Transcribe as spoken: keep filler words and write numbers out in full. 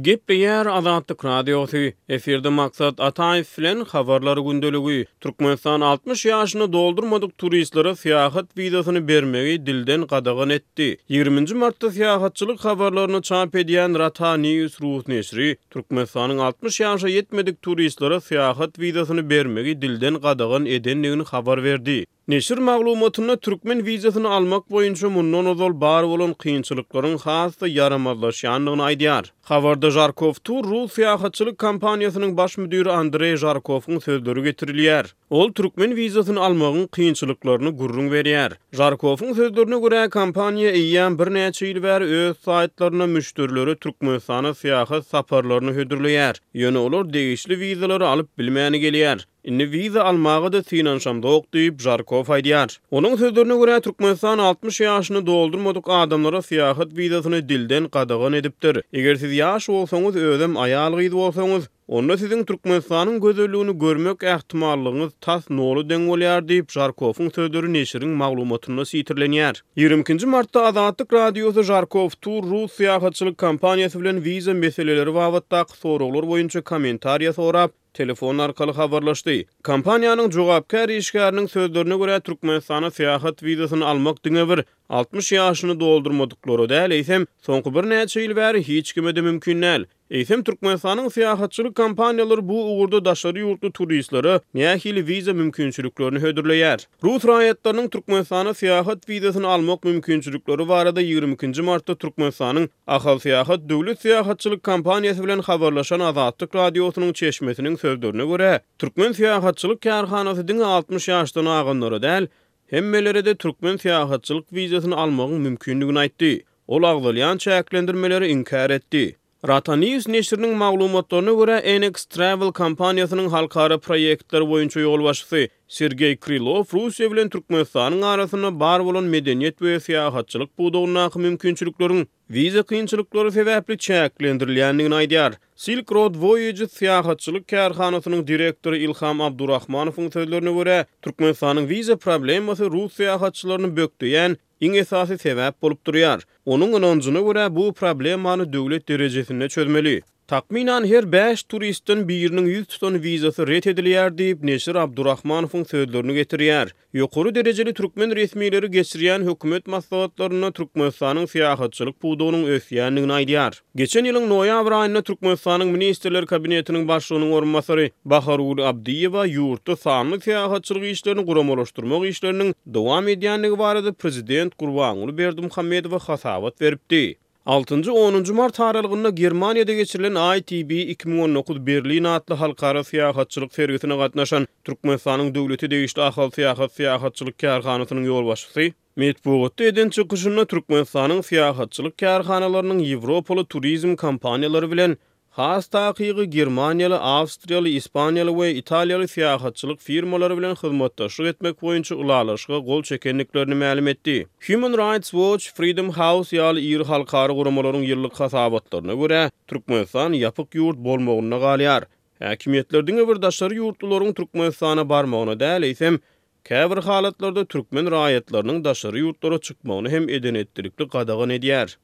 Gepleýär Azatlyk Radiosy, efirde Maksat Ataýew bilen Habarlar gündeligi. Türkmenistan altmyş ýaşyny doldurmadyk turistlere syýahat wizasyny bermegi dilden gadagan etdi. Ýigriminji martda syýahatçylyk habarlaryny çap edýän Rata News rus neşiri Türkmenistanyň altmyş ýaşa ýetmedik turistlere syýahat wizasyny bermegi dilden gadagan edendigini habar berdi. Neşir maglumatynda türkmen wizasyny almak boýunça mundan ozal bar bolan kynçylyklaryň has-da ýaramazlaşýandygyny aýdýar. Habarda Žarkow Tur rus syýahatçylyk kompaniýasynyň baş müdiri Andreý Žarkowyň sözleri getirilýär. Ol türkmen wizasyny almagyň kynçylyklaryny gürrüň berýär. Žarkowyň sözlerine görä, kompaniýa eýýäm birnäçe ýyl bäri öz saýtlarynda müşderilere Türkmenistana syýahat saparlaryny hödürleýär. Ýöne olar degişli wizalary alyp bilmäni gelýär. Indi wiza almaga-da synanyşamzok diýip, Žarkow aýdýar. Onuň sözlerine görä, Türkmenistan altmyş ýaşyny doldurmadyk adamlara syýahat wizasyny dilden gadagan edipdir. Eger siz ýaş bolsaňyz, özem aýal-gyz bolsaňyz, onda siziň Türkmenistanyň gözelligini görmek ähtimallygyňyz tas nola deň bolýar diýip, Žarkowyň sözleri neşiriň maglumatynda sitirlenýär. Ýigrimi ikinji martda Azatlyk Radiosy Žarkow Tur rus syýahatçylyk kompaniýasy bilen wiza meseleleri babatdaky soraglar boýunça kommentariýa sorap, telefon arkaly habarlaşdy. Kompaniýanyň jogapkär işgäriniň sözlerine görä, Türkmenistana syýahat wizasyny almak diňe bir altmyş ýaşyny doldurmadyklara däl, eýsem, soňky birnäçe ýyl bäri hiç kime-de mümkin däl. Eýsem, Türkmenistanyň syýahatçylyk kompaniýalary bu ugurda daşary ýurtly turistlere nähili wiza mümkinçiliklerini hödürleýär? Rus raýatlarynyň Türkmenistana syýahat wizasyny almak mümkinçilikleri barada ýigrimi ikinji martda Türkmenistanyň Ahalsyýahat döwlet syýahatçylyk kompaniýasy bilen habarlaşan Azatlyk Radiosynyň çeşmesiniň sözlerine görä, türkmen syýahatçylyk kärhanasy diňe altmyş ýaşdan aganlara däl, hemmelere-de türkmen syýahatçylyk wizasyny almagyň mümkindigini aýtdy. Ol agzalýan çäklendirmeleri inkär etdi. Rata News neşiriniň maglumatlaryna görä, Enex Travel kompaniýasynyň halkara proýektler boýunça ýolbaşçysy Sergeý Krylow Russiýa bilen Türkmenistanyň arasynda bar bolan medeniýet we syýahatçylyk pudagyndaky mümkinçilikleriň wiza kynçylyklary sebäpli çäklendirilýändigini aýdýar. Silk Road Voyages syýahatçylyk kärhanasynyň direktory Ilham Abdurahmanowyň sözlerine görä, Türkmenistanyň wiza problemasy rus syýahatçylaryny bökdeýän iň esasy sebäp bolup durýar. Onuň ynanjyna görä, bu problemany döwlet derejesinde çözmeli. Takmynan her bäş turistden biriniň ýüz tutan wizasy ret edilýär diýip, neşir Abdurahmanowyň sözlerini getirýär. Ýokary derejeli türkmen resmileri geçirýän hökümet maslahatlarynda Türkmenistanyň syýahatçylyk pudagynyň ösýändigini aýdýar. Geçen ýylyň noýabr aýynda Türkmenistanyň Ministrler Kabinetiniň başlygynyň orunbasary Bahargül Abdyýewa ýurtda sanly syýahatçylyk işlerini guramalaşdyrmak işleriniň dowam edýändigi barada prezident Gurbanguly Berdimuhamedowa hasabat beripdi. Altynjy onunjy mart aralygynda Germaniýada geçirilen I T B iki müň on dokuz Berlin atly halkara syýahatçylyk sergisine gatnaşan Türkmenistanyň döwlete degişli Ahal syýahat syýahatçylyk kärhanasynyň ýolbaşçysy metbugatda eden çykyşynda Türkmenistanyň syýahatçylyk kärhanalarynyň Ýewropaly turizm kompaniýalary bilen has takygy Germaniýaly, Awstriýaly, Ispaniýaly we Italiýaly syýahatçylyk firmalary bilen hyzmatdaşlyk etmek boýunça ylalaşyga gol çekendiklerini mälim etdi. Human Rights Watch, Freedom House ýaly iri halkara guramalaryň ýyllyk hasabatlaryna görä, Türkmenistan ýapyk ýurt bolmagynda galýar. Häkimiýetler diňe bir daşary ýurtlularyň Türkmenistana barmagyna däl, eýsem, käbir halatlarda türkmen raýatlarynyň daşary ýurtlara çykmagyny hem edenetdilikli gadagan edýär.